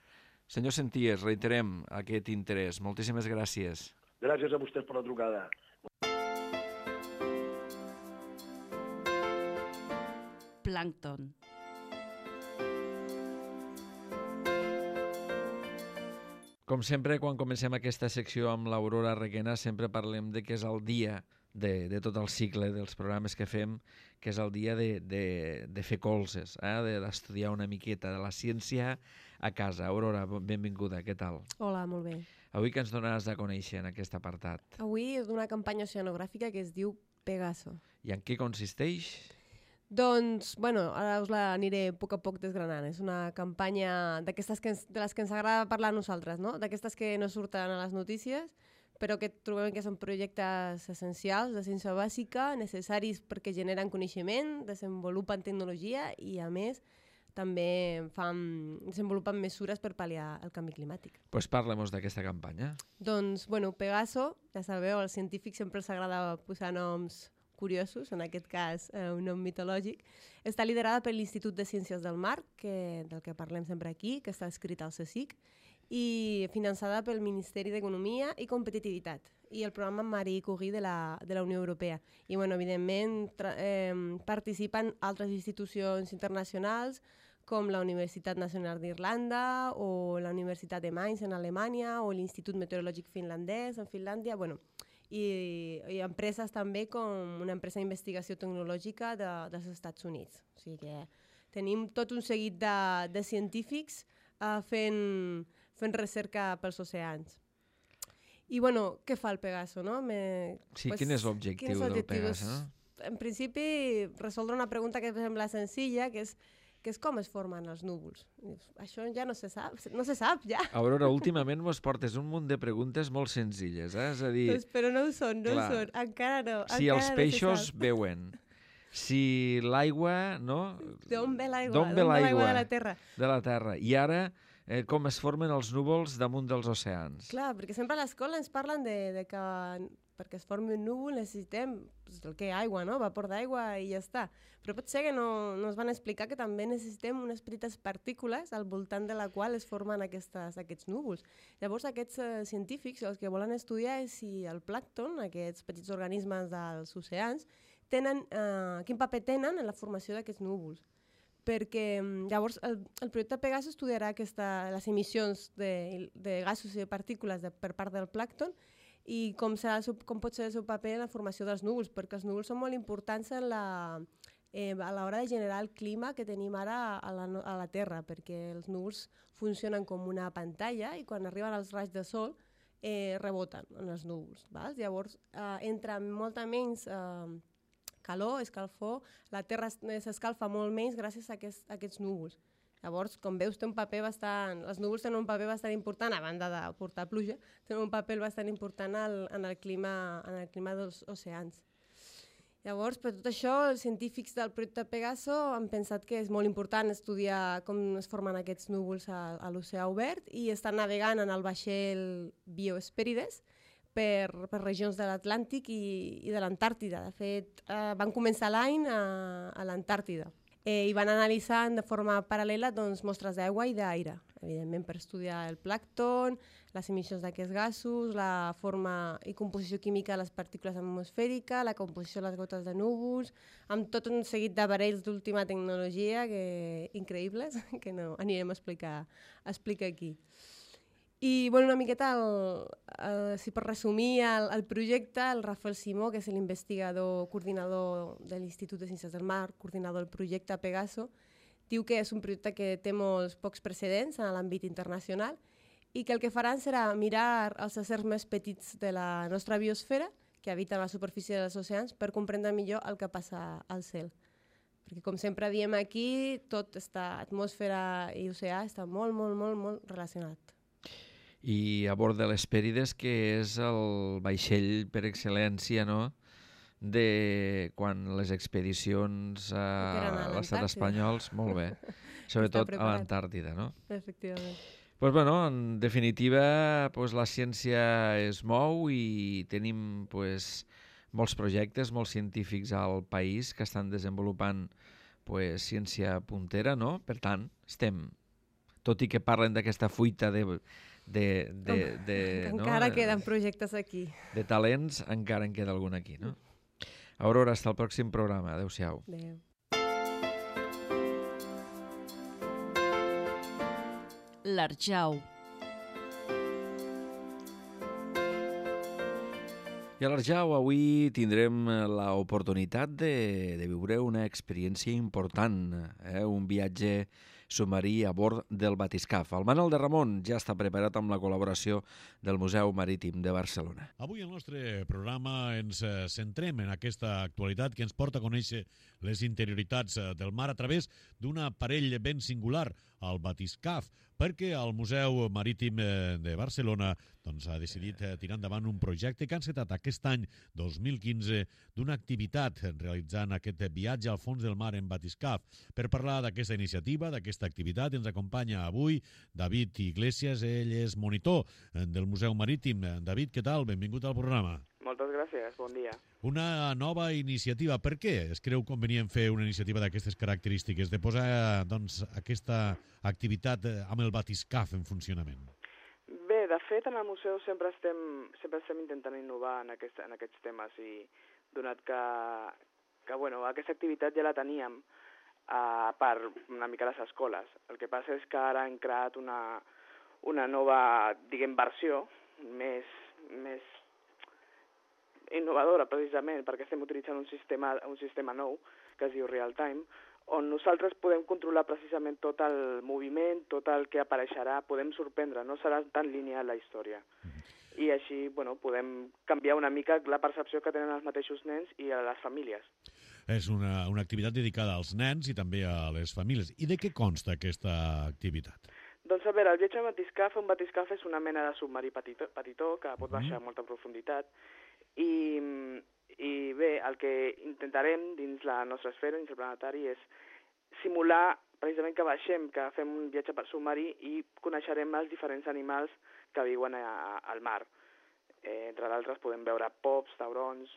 B: Senyor Senties, reiterem aquest interès. Moltíssimes gràcies.
G: Gràcies a vostès per la trucada.
A: Plàncton.
B: Com sempre, quan comencem aquesta secció amb l'Aurora Requena, sempre parlem de que és el dia de tot el cicle dels programes que fem, que és el dia de fer colzes, d'estudiar una miqueta de la ciència a casa. Aurora, benvinguda, què tal?
H: Hola, molt bé.
B: Avui que ens donaràs a conèixer en aquest apartat?
H: Avui és d'una campanya oceanogràfica que es diu Pegaso.
B: I en què consisteix?
H: Doncs, bueno, ara us l'aniré a poc desgranant. És una campanya d'aquestes de les que ens agrada parlar a nosaltres, no? D'aquestes que no surten a les notícies, però que trobem que són projectes essencials de ciència bàsica, necessaris perquè generen coneixement, desenvolupen tecnologia i, a més, també desenvolupen mesures per pal·liar el canvi climàtic.
B: Doncs parlem-nos d'aquesta campanya.
H: Doncs, bueno, Pegaso, ja sabeu, als científics sempre els agrada posar noms curiosos, en aquest cas un nom mitològic. Està liderada per l'Institut de Ciències del Mar, del que parlem sempre aquí, que està escrit al CSIC, i finançada pel Ministeri d'Economia i Competitivitat i el programa Marie Curie de la Unió Europea. I, bueno, evidentment, participen altres institucions internacionals com la Universitat Nacional d'Irlanda o la Universitat de Mainz en Alemanya o l'Institut Meteorològic Finlandès en Finlàndia, bueno, i empreses també com una empresa d'investigació tecnològica dels Estats Units. O sigui que tenim tot un seguit de científics fent recerca pels oceans. I, bueno, què fa el Pegaso, no?
B: Sí, quin és l'objectiu del Pegaso, no?
H: En principi, resoldre una pregunta que sembla senzilla, que és com es formen els núvols. Això ja no se sap, ja.
B: Aurora, últimament mos portes un munt de preguntes molt senzilles, És a dir...
H: Però no ho són, encara no.
B: Si els peixos veuen, si l'aigua, no?
H: D'on ve l'aigua?
B: D'on ve l'aigua?
H: De la Terra.
B: De la Terra. I ara, com es formen els núvols damunt dels oceans?
H: Clar, perquè sempre a l'escola ens parlen de que perquè es formi un núvol necessitem el que aigua, no? Vapor d'aigua i ja està. Però pot ser que no ens van explicar que també necessitem unes petites partícules al voltant de la qual es formen aquests núvols. Llavors aquests científics el que volen estudiar és si el plàncton, aquests petits organismes dels oceans, quin paper tenen en la formació d'aquests núvols. Perquè llavors el projecte Pegaso estudiarà les emissions de gasos i de partícules per part del plàncton i com pot ser el seu paper en la formació dels núvols, perquè els núvols són molt importants a l'hora de generar el clima que tenim ara a la Terra, perquè els núvols funcionen com una pantalla i quan arriben els raigs de sol reboten en els núvols. Llavors entra molta menys calor, escalfor, la Terra s'escalfa molt menys gràcies a aquests núvols. Llavors, com veus, els núvols tenen un paper bastant important, a banda de portar pluja, tenen un paper bastant important en el clima dels oceans. Llavors, per tot això, els científics del projecte Pegaso han pensat que és molt important estudiar com es formen aquests núvols a l'oceà obert i estan navegant en el vaixell Biospérides per regions de l'Atlàntic i de l'Antàrtida. De fet, van començar l'any a l'Antàrtida. I van analitzant de forma paral·lela mostres d'aigua i d'aire, evidentment per estudiar el plàncton, les emissions d'aquests gasos, la forma i composició química de les partícules atmosfèriques, la composició de les gotes de núvols, amb tot un seguit d'aparells d'última tecnologia increïbles que no anirem a explicar aquí. I una miqueta, si per resumir el projecte, el Rafael Simó, que és l'investigador coordinador de l'Institut de Ciències del Mar, coordinador del projecte Pegaso, diu que és un projecte que té molts pocs precedents en l'àmbit internacional i que el que faran serà mirar els éssers més petits de la nostra biosfera, que habiten a la superfície dels oceans, per comprendre millor el que passa al cel. Perquè, com sempre diem aquí, tot està, atmosfera i oceà, està molt, molt, molt, molt relacionat.
B: I a bord de l'Hespèrides, que és el vaixell per excel·lència, no?, de quan les expedicions a l'estat espanyol, molt bé, sobretot a l'Antàrtida, no?
H: Efectivament.
B: Doncs, bueno, en definitiva, la ciència es mou i tenim molts projectes, molts científics al país que estan desenvolupant ciència puntera, no? Per tant, tot i que parlen d'aquesta fuita
H: Encara queden projectes aquí.
B: De talents, encara en queda algun aquí, no? Aurora, hasta el pròxim programa. Adéu-siau.
H: Adéu.
A: L'Arjau.
B: I a l'Arjau avui tindrem l'oportunitat de viure una experiència important, un viatge submarí a bord del batiscaf. El Manol de Ramon ja està preparat amb la col·laboració del Museu Marítim de Barcelona.
I: Avui al nostre programa ens centrem en aquesta actualitat que ens porta a conèixer les interioritats del mar a través d'un aparell ben singular, el batiscaf, perquè el Museu Marítim de Barcelona ha decidit tirar endavant un projecte que ha encetat aquest any 2015 d'una activitat realitzant aquest viatge al fons del mar en batiscaf. Per parlar d'aquesta iniciativa, d'aquesta activitat, ens acompanya avui David Iglesias. Ell és monitor del Museu Marítim. David, què tal? Benvingut al programa.
J: Moltes gràcies, bon dia.
I: Una nova iniciativa. Per què es creu convenient fer una iniciativa d'aquestes característiques, de posar aquesta activitat amb el batiscaf en funcionament?
J: Bé, de fet, en el museu sempre estem intentant innovar en aquests temes i donat que aquesta activitat ja la teníem per una mica les escoles. El que passa és que ara hem creat una nova, versió més innovadora, precisament, perquè estem utilitzant un sistema nou que es diu Real Time, on nosaltres podem controlar precisament tot el moviment, tot el que apareixerà, podem sorprendre, no serà tan lineal la història. I així, podem canviar una mica la percepció que tenen els mateixos nens i a les famílies.
I: És una activitat dedicada als nens i també a les famílies. I de què consta aquesta activitat?
J: Doncs a veure, el viatge en batiscaf, un batiscaf és una mena de submarí petitó que pot baixar a molta profunditat i bé, el que intentarem dins la nostra esfera, dins el planetari, és simular precisament que baixem, que fem un viatge per submarí i coneixerem els diferents animals que viuen al mar. Entre d'altres podem veure pops, taurons,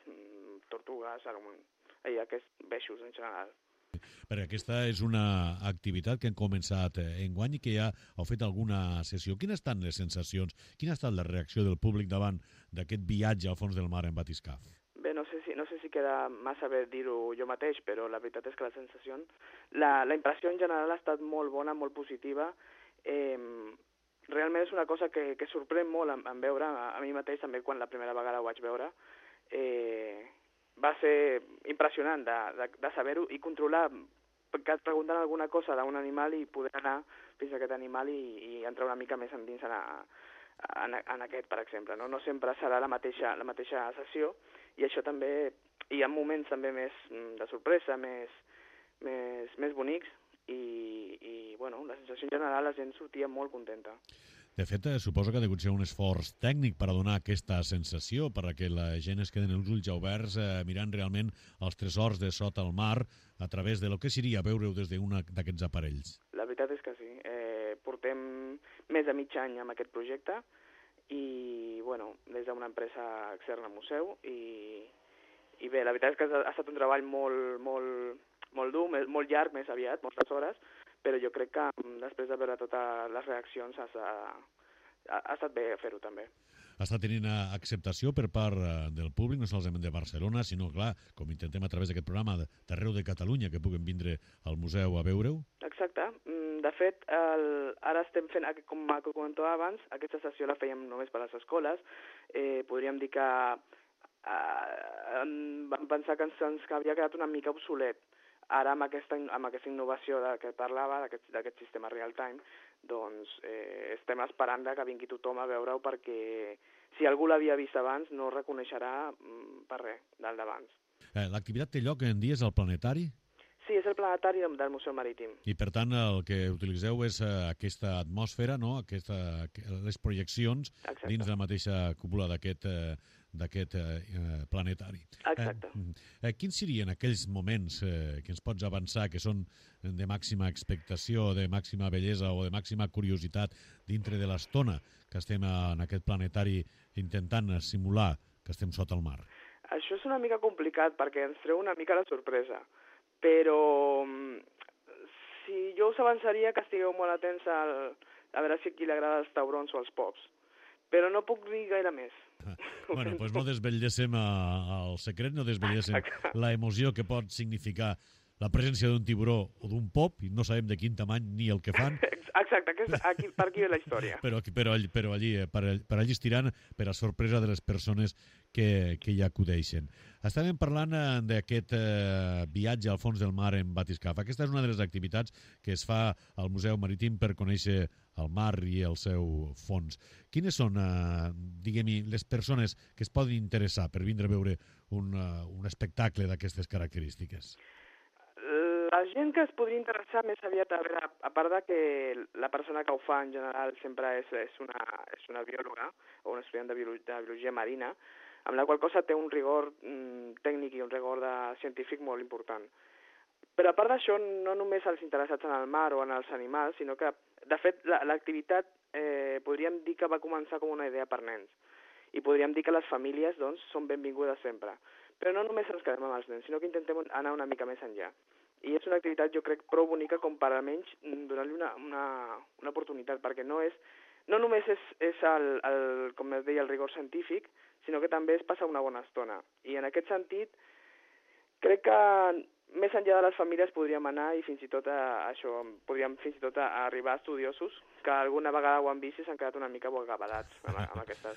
J: tortugues, aquests peixos en general.
I: Perquè aquesta és una activitat que hem començat enguany i que ja heu fet alguna sessió. Quines estan les sensacions? Quina ha estat la reacció del públic davant d'aquest viatge al fons del mar en batiscaf?
J: Bé, no sé si queda massa bé dir-ho jo mateix, però la veritat és que la sensació, la impressió en general ha estat molt bona, molt positiva. Realment és una cosa que sorprèn molt en veure, a mi mateix també quan la primera vegada ho vaig veure. Va ser impressionant de saber-ho i controlar, que et pregunten alguna cosa d'un animal i poder anar fins a aquest animal i entrar una mica més endins en aquest, per exemple. No sempre serà la mateixa sessió i això també, hi ha moments també més de sorpresa, més bonics i la sensació en general la gent sortia molt contenta.
I: De fet, suposo que ha hagut ser un esforç tècnic per a donar aquesta sensació, perquè la gent es queden els ulls oberts mirant realment els tresors de sota el mar a través de lo que seria veure-ho des d'un d'aquests aparells.
J: La veritat és que sí. Portem més de mig any amb aquest projecte i, des d'una empresa externa al museu i bé, la veritat és que ha estat un treball molt dur, molt llarg, més aviat, moltes hores, però jo crec que després de veure totes les reaccions ha estat bé fer-ho també.
I: Està tenint acceptació per part del públic, no solament de Barcelona, sinó, clar, com intentem a través d'aquest programa d'arreu de Catalunya, que puguen vindre al museu a veure-ho?
J: Exacte. De fet, ara estem fent, com comentava abans, aquesta sessió la fèiem només per a les escoles. Podríem dir que vam pensar que ens havia quedat una mica obsolet. Ara, amb aquesta innovació que parlava, d'aquest sistema real time, doncs estem esperant que vingui tothom a veure-ho perquè si algú l'havia vist abans no reconeixerà per res del d'abans.
I: L'activitat té lloc en dies al planetari?
J: Sí, és el planetari del Museu Marítim.
I: I, per tant, el que utilitzeu és aquesta atmosfera, no? Les projeccions dins la mateixa cúpula d'aquest planetari.
J: Exacte.
I: Quins serien aquells moments que ens pots avançar que són de màxima expectació, de màxima bellesa o de màxima curiositat dintre de l'estona que estem en aquest planetari intentant simular que estem sota el mar?
J: Això és una mica complicat perquè ens treu una mica la sorpresa, però si jo us avançaria que estigueu molt atents a veure si a qui li agrada els taurons o els pops. Però no puc dir gaire més.
I: Bueno, doncs no desvetlléssim el secret, no desvetlléssim la emoció que pot significar la presència d'un tiburó o d'un pop, i no sabem de quin tamany ni el que fan.
J: Exacte, per aquí ve la història.
I: Però allí estiran per a sorpresa de les persones que hi acudeixen. Estàvem parlant d'aquest viatge al fons del mar en batiscaf. Aquesta és una de les activitats que es fa al Museu Marítim per conèixer el mar i el seu fons. Quines són, diguem-hi, les persones que es poden interessar per vindre a veure un espectacle d'aquestes característiques?
J: La gent que es podria interessar més aviat, a veure, a part de que la persona que ho fa en general sempre és una biòloga o un estudiant de biologia marina, amb la qual cosa té un rigor tècnic i un rigor científic molt important. Però a part d'això, no només els interessats en el mar o en els animals, sinó que, de fet, l'activitat podríem dir que va començar com una idea per nens. I podríem dir que les famílies, doncs, són benvingudes sempre. Però no només ens quedem amb els nens, sinó que intentem anar una mica més enllà. I és una activitat, jo crec, prou bonica com per almenys donar-li una oportunitat, perquè no només és com es deia, el rigor científic, sinó que també es passa una bona estona. I en aquest sentit, crec que més enllà de les famílies podríem anar i fins i tot podríem fins i tot arribar a estudiosos que alguna vegada ho han vist i s'han quedat una mica bocabadats amb aquesta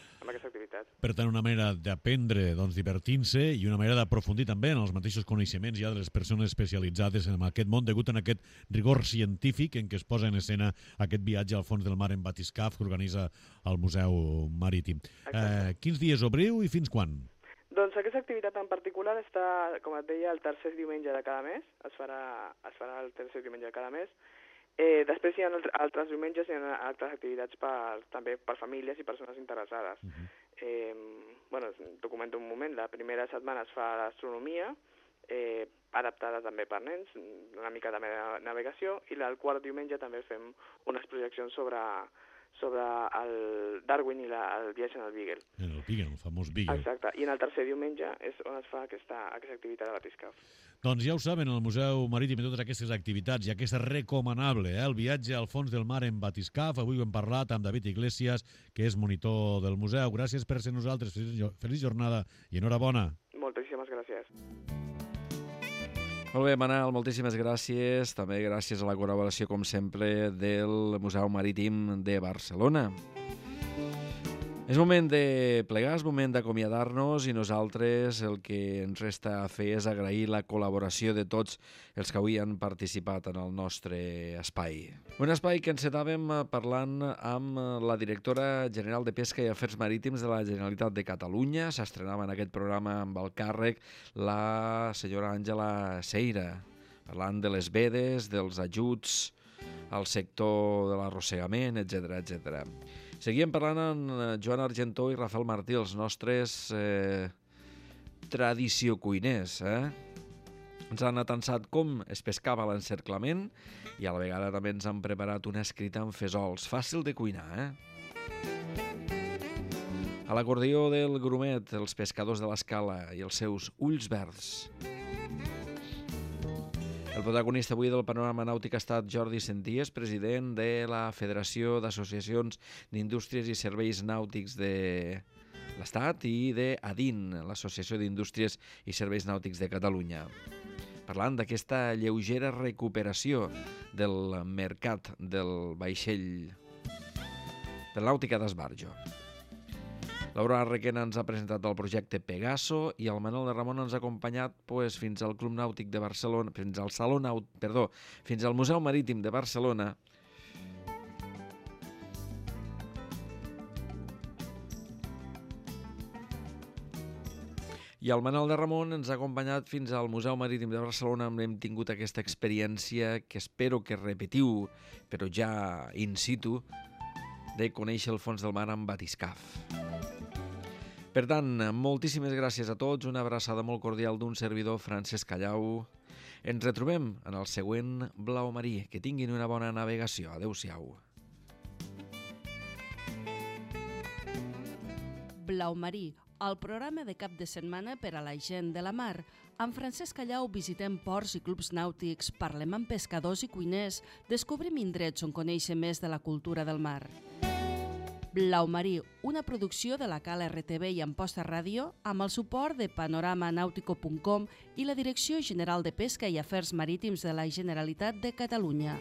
J: activitat.
I: Per tant, una manera d'aprendre, doncs, divertint-se i una manera d'aprofundir també en els mateixos coneixements ja de les persones especialitzades en aquest món, degut a aquest rigor científic en què es posa en escena aquest viatge al fons del mar en batiscaf que organitza el Museu Marítim. Quins dies obriu i fins quan?
J: Doncs aquesta activitat en particular està, com et deia, el tercer diumenge de cada mes. Es farà el tercer diumenge de cada mes. Després hi ha altres diumenges, hi ha altres activitats també per famílies i persones interessades. T'ho comento un moment. La primera setmana es fa l'astronomia, adaptada també per nens, una mica de navegació, i el quart diumenge també fem unes projeccions sobre el Darwin i el viatge en el Beagle.
I: En el Beagle, el famós Beagle.
J: Exacte. I en el tercer diumenge és on es fa aquesta activitat de batiscaf.
I: Doncs ja ho saben, el Museu Marítim i totes aquestes activitats i aquesta recomanable, el viatge al fons del mar en batiscaf. Avui ho hem parlat amb David Iglesias, que és monitor del museu. Gràcies per ser nosaltres. Feliç jornada i enhorabona.
J: Moltíssimes gràcies.
B: Molt bé, Manel, moltíssimes gràcies. També gràcies a la col·laboració, com sempre, del Museu Marítim de Barcelona. És moment de plegar, és moment d'acomiadar-nos i nosaltres el que ens resta a fer és agrair la col·laboració de tots els que avui han participat en el nostre espai. Un espai que encetàvem parlant amb la directora general de Pesca i Afers Marítims de la Generalitat de Catalunya. S'estrenava en aquest programa amb el càrrec la senyora Àngela Seira, parlant de les vedes, dels ajuts al sector de l'arrossegament, etc. Seguíem parlant amb Joan Argentó i Rafael Martí, els nostres tradició cuiners. Ens han atansat com es pescava l'encerclament i a la vegada també ens han preparat una escrita amb fesols. Fàcil de cuinar, A l'acordió del grumet, els pescadors de l'Escala i els seus ulls verds. El protagonista avui del panorama nàutic ha estat Jordi Senties, president de la Federació d'Associacions d'Indústries i Serveis Nàutics de l'Estat i d'ADIN, l'Associació d'Indústries i Serveis Nàutics de Catalunya. Parlant d'aquesta lleugera recuperació del mercat del vaixell de la nàutica d'esbarjo. Laura Requena ens ha presentat el projecte Pegaso i el Manel de Ramon ens ha acompanyat fins al Club Nàutic de Barcelona, fins al Museu Marítim de Barcelona. I el Manel de Ramon ens ha acompanyat fins al Museu Marítim de Barcelona on hem tingut aquesta experiència que espero que repetiu, però ja in situ, de conèixer el fons del mar amb batiscaf. Per tant, moltíssimes gràcies a tots, una abraçada molt cordial d'un servidor, Francesc Callau. Ens retrobem en el següent Blau Marí. Que tinguin una bona navegació. Adéu-siau.
A: Blau Marí, al programa de cap de setmana per a la gent de la mar. Amb Francesc Callau visitem ports i clubs nàutics, parlem amb pescadors i cuiners, descobrim indrets on conèixer més de la cultura del mar. Blau Marí, una producció de la Cala RTV i Amposta Ràdio, amb el suport de panoramanautico.com i la Direcció General de Pesca i Afers Marítims de la Generalitat de Catalunya.